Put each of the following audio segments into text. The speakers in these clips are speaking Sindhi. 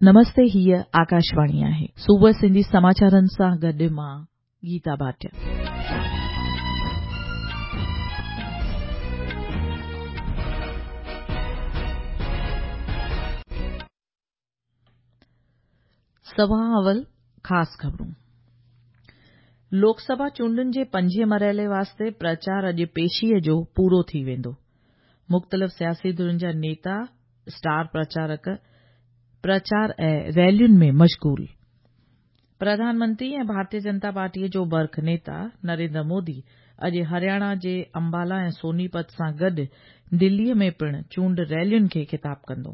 نمستي هيء آڪاشواڻي آهي. صبح سنڌي سماچارن سان گڏ مان گيتا ڀاٽيا. سڀان اول خاص خبرون. لوڪ سڀا چونڊن جي پنجين مرحلي واسطي پرچار اڄ پيشيء جو پورو ٿي ويندو. مختلف سياسي ڌرين جا نيتا، اسٽار پرچارڪ پرچار ۽ ريلين ۾ مشغول. پرڌان منتري ۽ ڀارتيه جنتا پارٽيء جو برک نيتا نريندر مودي اڄ هرياڻا جي امبالا ۽ سونيپت سان گڏ دليء ۾ پڻ چونڊ ريلين کي خطاب ڪندو.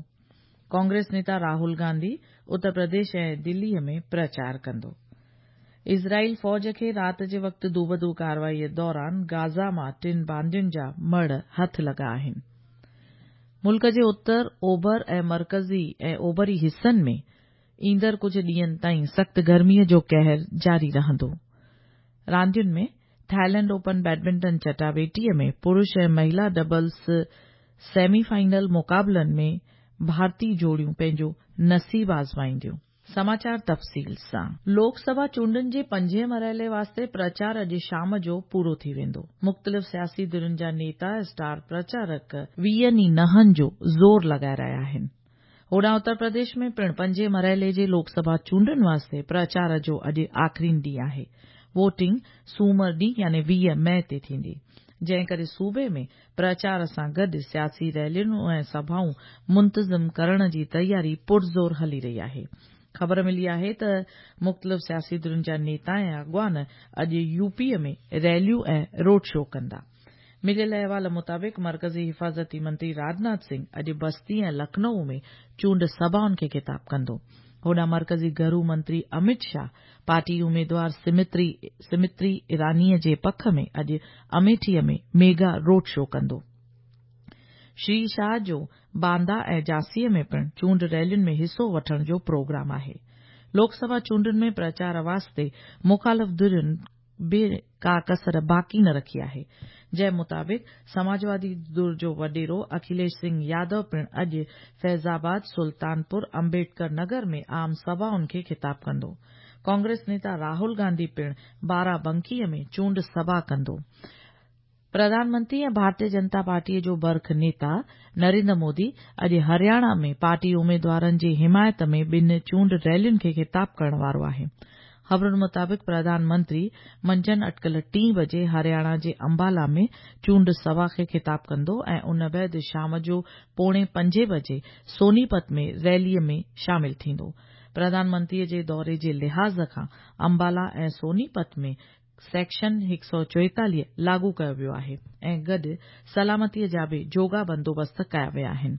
ڪانگريس نيتا راهول گانڌي اتر پرديش ۽ دليء ۾ پرچار ڪندو. اسرائيل فوج کي رات جي وقت دوبدو ڪارروائيء دوران گازا مان ٽن باندين جا مڙهه هٿ لڳا آهن. ملڪ جي اتر، اوڀر ۽ مرڪزي ۽ اوڀري حصن ۾ ايندڙ ڪجهه ڏينهن تائين سخت گرميء جو قهر جاري رهندو. راندين ۾ ٿائيلينڊ اوپن بيڊمنٽن چٽاڀيٽيء ۾ پرش ۽ مهلا ڊبلز سيمي فائنل مقابلن ۾ ڀارتي جوڙيون پنهنجو نصيب آزمائينديون. سماچار تفصيل سان. لوڪ سڀا چونڊن جي پنجين مرحلي واسطي پرچار اڄ شام جو پورو ٿي ويندو. مختلف سياسي ڌرين جا نيتا، اسٽار پرچارڪ ويهن ئي نهن جو زور لڳائي رهيا آهن. هوڏانهن اتر پرديش ۾ پڻ پنجين مرحلي جي لوڪ سڀا چونڊن واسطي پرچار جو اڄ آخرين ڏينهن آهي. ووٽنگ سومر ڏينهن يعني 20 مئي تي ٿيندي. جنهن ڪري صوبي ۾ پرچار سان گڏ سياسي ريليون ۽ سڀائون منتظم ڪرڻ جي تياري پرزور هلي رهي آهي. خبر ملي آهي ته مختلف سياسي ڌرين جا نيتا ۽ اڳواڻ اڄ يوپيء ۾ ريليون ۽ روڊ شو ڪندا. مليل احوال مطابق مرڪزي حفاظتي منتري راجناٿ سنگهه اڄ بستي ۽ لکنؤ ۾ چونڊ سڀائن کي خطاب ڪندو. هوڏانهن مرڪزي گهرو منتري امت شاهه پارٽي اميدوار سمتري ايرانيء جي پک ۾ اڄ اميٺيء ۾ ميگا روڊ شو ڪندو. شري شاهه جو باندا ۽ جهانسيء ۾ پڻ چونڊ ريلين ۾ حصو وٺڻ جو پروگرام آهي. لوڪ سڀا چونڊن ۾ پرچار واسطي مخالف ڌرين به ڪا ڪسر باقي نه رکي آهي. جنهن مطابق سماجوادي ڌر جو وڏيرو اکليش سنگهه يادو پڻ اڄ فيض آباد، سلطانپور، امبيڊڪر نگر ۾ عام سڀائن کي خطاب ڪندو. ڪانگريس نيتا راهول گانڌي پڻ بارابنڪيء ۾ چونڊ سڀا ڪندو. پرڌان منتري ۽ ڀارتيه جنتا پارٽيء جو برک نيتا نريندر مودي اڄ هرياڻا ۾ پارٽي اميدوارن جي حمايت ۾ ٻن چونڊ ريلين کي خطاب ڪرڻ وارو آهي. خبرن مطابق پرڌان منتري منجهند اٽڪل ٽين بجي هرياڻا جي امبالا ۾ چونڊ سڀا کي خطاب ڪندو ۽ ان بعد شام جو پوڻي پنجين بجي سونيپت ۾ ريليء ۾ شامل ٿيندو. پرڌان منتريء جي دوري جي لحاظ کان امبالا ۽ سونيپت ۾ سيڪشن 144 لاڳو ڪيو ويو آهي ۽ گڏ سلامتيء جا به جوڳا بندوبست ڪيا ويا آهن.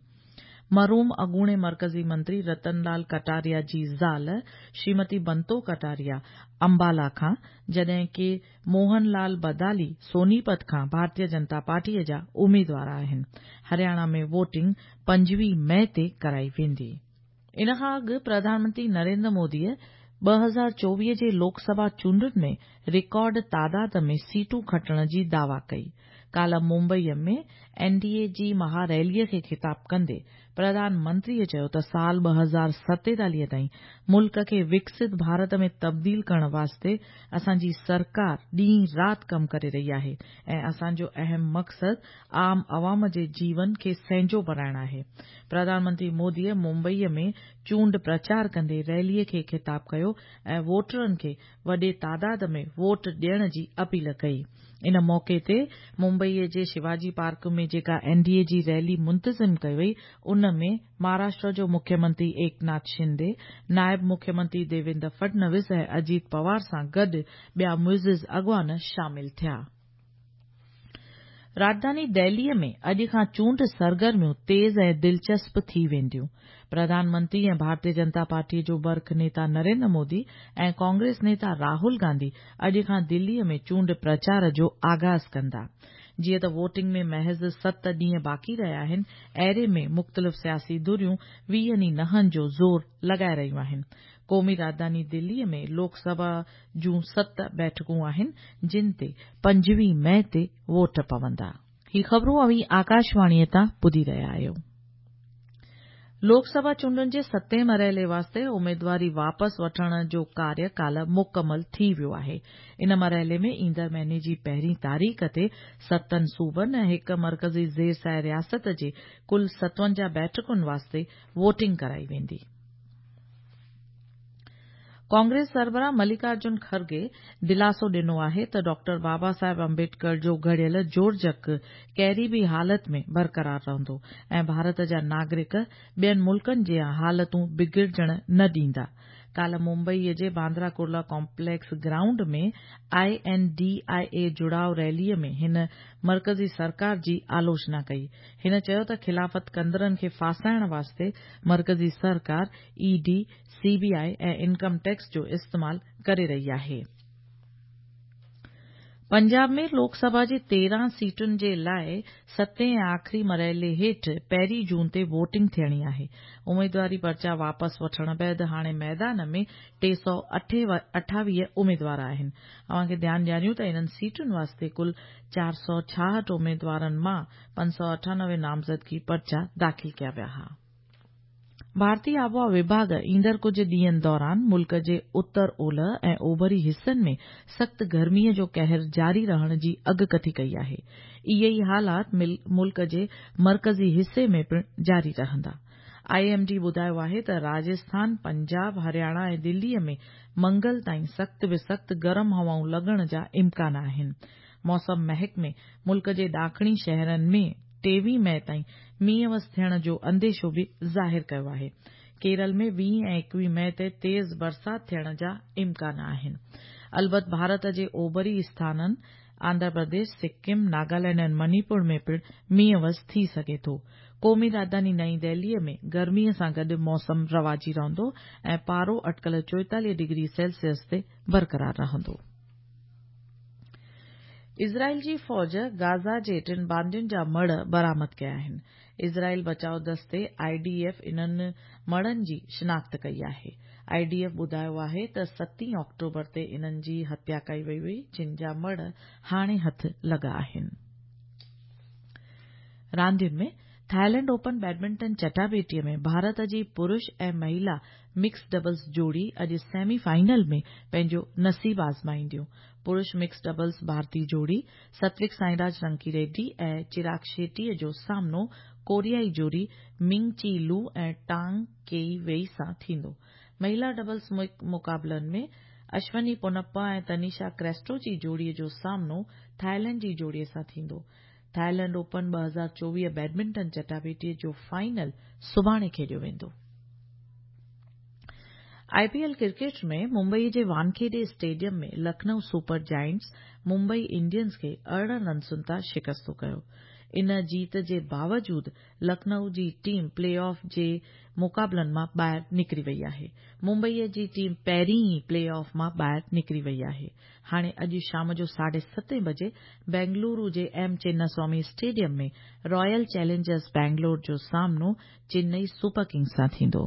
مرحوم اڳوڻي مرڪزي منتري رتن لال ڪٽاريا جي زال شريمتي بنتو ڪٽاريا امبالا کان، جڏهن ڪي موهن لال بدالي سونيپت کان ڀارتيه جنتا پارٽيء جا اميدوار آهن. هرياڻا ۾ ووٽنگ 25 مئي تي ڪرائي ويندي. ان کان اڳ پرڌان منتري نريندر موديء 2024 جي لوڪ سڀا چونڊن ۾ رڪارڊ تعداد ۾ سيٽون کٽڻ جي دعويٰ ڪئي. ڪالهه ممبئيء ۾ اين ڊي اي جي مها ريليء کي خطاب ڪندي پرڌان منتريء چيو ته سال 2047 تائين ملڪ کي وڪست ڀارت ۾ تبديل ڪرڻ واسطي اسان جي سرڪار ڏينهن رات ڪم ڪري رهي آهي ۽ اسان جو اهم مقصد عام عوام جي جيون کي سهنجو بڻائڻ آهي. پرڌان منتري موديء ممبئيء ۾ چونڊ پرچار ڪندي ريليء کي خطاب ڪيو ۽ ووٽرن کي وڏي تعداد ۾ ووٽ ڏيڻ جي اپيل ڪئي. ان موقعي تي ممبئيء جي شيواجي پارڪ ۾ جيڪا اين ڊي اي جي ريلي منتظم ڪئي وئي، ان ۾ مهاراشٽر جو مکيه منتري ايڪناٿ شندي، نائب مکيه منتري ديويندر فڊنويس ۽ اجيت پوار سان گڏ ٻيا معزز اڳواڻ شامل ٿيا. راڄڌاني دهليء ۾ اڄ کان چونڊ سرگرميون تيز ۽ دلچسپ ٿي وينديون. پرڌان منتري ۽ ڀارتيه جنتا پارٽيء جو برک نيتا نريندر مودي ۽ ڪانگريس نيتا راهول گانڌي اڄ کان دليء ۾ چونڊ پرچار جو آغاز ڪندا. جيئن ته ووٽنگ ۾ محض ست ڏينهن باقي رهيا آهن، اهڙي ۾ مختلف سياسي ڌريون ويهن ئي نهن جو زور لڳائي رهيون آهن. قومي راڄڌاني دليء ۾ لوڪ سڀا جون ست بيٺڪون آهن، جن تي 25 مئي تي ووٽ پوندا. هي خبرون اوهين آڪاشواڻيء تان ٻڌي رهيا آهيو. لوڪ سڀا چونڊن جي ستين مرحلي واسطي اميدواري واپس وٺڻ جو ڪاريه ڪالهه مڪمل ٿي ويو آهي. ان مرحلي ۾ ايندڙ مهيني جي پهرين تاريخ تي ستن صوبن ۽ هڪ مرڪزي زير سايه رياست جي ڪل 57 بيٺڪن واسطي ووٽنگ ڪرائي ويندي. ڪانگريس سربراهه ملڪا ارجن کرگي دلاسو ڏنو آهي ته ڊاڪٽر بابا صاحب امبيڊڪر جو گهڙيل جوڙجڪ ڪهڙي به حالت ۾ برقرار رهندو ۽ ڀارت جا ناگرڪ ٻين ملڪن جيان حالتون بگڙجڻ نه ڏيندا. ڪالهه ممبئي جي Bandra Kurla complex ground ۾ I N D I A جڙاء rally ۾ هن مرڪزي سرڪار جي آلوچنا ڪئي. هن چيو ته خلافت ڪندڙن کي ڦاسائڻ واسطي مرڪزي سرڪار E D, C B I ۽ income tax جو استعمال ڪري رهي آهي. پنجاب ۾ لوڪ سڀا جي 13 سيٽن جي لاء ستين ۽ آخري مرحلي هيٺ پهرين جون تي ووٽنگ ٿيڻي آهي. اميدواري پرچا واپس وٺڻ بعد هاڻي ميدان ۾ 328 اميدوار آهن. اوهان کي ڌيان ڏياريون ته انهن سيٽن واسطي ڪل 466 اميدوارن مان 598 نامزدگي پرچا داخل ڪيا ويا ها. ڀارتي آبهوا وڀاڳ ايندڙ ڪجهه ڏينهن دوران ملڪ جي اتر اولهه ۽ اوڀري حصن ۾ سخت گرمي جو قهر جاري رهڻ جي اڳڪٿي ڪئي آهي. اهي ئي حالات ملڪ جي مرڪزي حصي ۾ پڻ جاري رهندا. I M D ٻڌايو آهي ته راجسٿان، پنجاب، هرياڻا ۽ دلي ۾ منگل تائين سخت به سخت گرم هوائون لڳڻ جا امڪان آهن. موسم محڪمي ملڪ جي ڏاکڻي شهرن ۾ 23 مئي تائين مينهن وس ٿيڻ جو انديشو به ظاهر ڪيو آهي. ڪيرل ۾ 20 ۽ 21 مئي تي تيز برسات ٿيڻ جا امڪان آهن. البت ڀارت جي اوڀري اسٿانن آنڌرا پرديش، سڪم، ناگالينڊ ۽ منيپور ۾ پڻ مينهن وس ٿي سگهي ٿو. قومي راڄڌاني نئين دهلي ۾ گرمي سان گڏ موسم رواجي رهندو ۽ پارو اٽڪل 44 ڊگري سيلسيس تي برقرار رهندو. اسرائيل جي فوج غازه جي ٽن باندين جا مڙهه برآمد ڪيا آهن. اسرائيل بچاء دستي، I D F, انهن مڙهن جي شناخت ڪئي آهي. I D F ٻڌايو آهي ته ستين آڪٽوبر تي انهن جي هتيا ڪئي وئي هئي جن جا مڙهه هاڻي هٿ لڳا آهن. راندين ۾ ٿائيلينڊ اوپن بيڊمنٽن چٽاڀيٽي ۾ ڀارت جي پرش ۽ مهيلا مڪس ڊبلز جوڙي اڄ سيمي فائنل ۾ پنهنجو نصيب آزمائينديون. پرش مڪس ڊبلز ڀارتي جوڙي ستوڪ سائيراج رنڪي ريڊي ۽ چراگ شيٽي جو سامنو ڪوريائي جوڙي منگ چي لو ۽ ٽانگ ڪيئي ويئي سان ٿيندو. مهيلا ڊبلز مقابلن ۾ اشوني پونپا ۽ تنيشا ڪريسٽو جي جوڙي جو سامنو ٿائيلينڊ جي جوڙي سان ٿيندو. ٿائيلينڊ اوپن 2024 بيڊمنٽن چٽاڀيٽي جو فائنل سڀاڻي کيڏيو ويندو. I P L cricket ۾ Mumbai جي Wankhede stadium ۾ Lucknow super giants Mumbai Indians کي 18 رنسن تان شڪستو ڪيو. ان جيت جي باوجود لکنئو جي ٽيم پلي آف جي مقابلن مان ٻاهر نڪري وئي آهي. ممبئي جي ٽيم پهرين ئي پلي آف مان ٻاهر نڪري وئي آهي. هاڻي اڄ شام جو ساڍي ستين بجي بينگلورو جي M Chinnaswamy stadium ۾ Royal Challengers Bangalore جو سامنو چنئي سپر ڪنگز سان ٿيندو.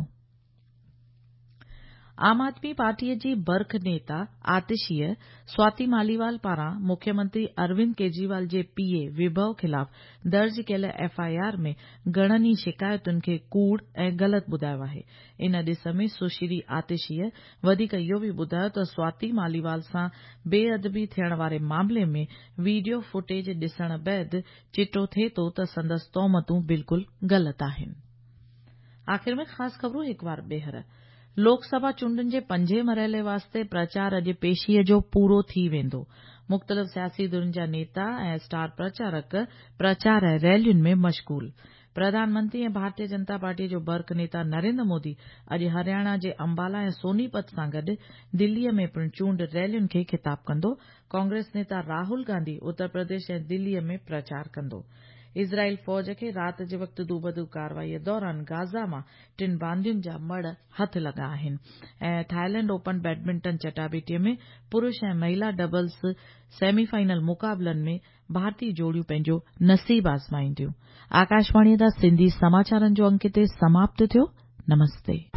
عام آدمي پارٽيء جي برک نيتا آتشيء سواتي ماليوال پاران مکيه منتري اروند ڪيجريوال جي پي اي وڀو خلاف درج ڪيل ايف I R ۾ گهڻن ئي شڪايتن کي ڪوڙ ۽ غلط ٻڌايو آهي. ان ڏس ۾ سشري آتشيء وڌيڪ اهو به ٻڌايو ته سواتي ماليوال سان بي ادبي ٿيڻ واري معاملي ۾ ويڊيو فوٽيج ڏسڻ بعد چٽو ٿئي ٿو ته سندس تهمتون بلڪل غلط آهن. آخر ۾ خاص خبرون هڪ وار ٻيهر. لوڪ سڀا چونڊن جي پنجين مرحلي واسطي پرچار اڄ پيشيء جو پورو ٿي ويندو. مختلف سياسي ڌرين جا نيتا ۽ اسٽار پرچارڪ پرچار ۽ ريلين ۾ مشغول. پرڌان منتري ۽ ڀارتيه جنتا پارٽيء جو برک نيتا نريندر مودي اڄ هرياڻا جي امبالا ۽ سوني پت سان گڏ دليء ۾ پڻ چونڊ ريلين کي خطاب ڪندو. ڪانگريس نيتا راهول گانڌي اتر پرديش ۽ دليء ۾ پرچار ڪندو. اسرائيل فوج کي رات جي وقت دوبدو ڪارروائيء دوران غازه مان ٽن باندين جا مڙهه هٿ لڳا آهن ۽ ٿائيلينڊ اوپن بيڊمنٽن چٽاڀيٽيء ۾ پرش ۽ مهيلا ڊبلز سيمي فائنل مقابلن ۾ ڀارتي جوڙيون پنهنجو نصيب آزمائينديون. آڪاشواڻيء تان سنڌي سماچارن جو انڪ هتي سماپت ٿيو. نمستي.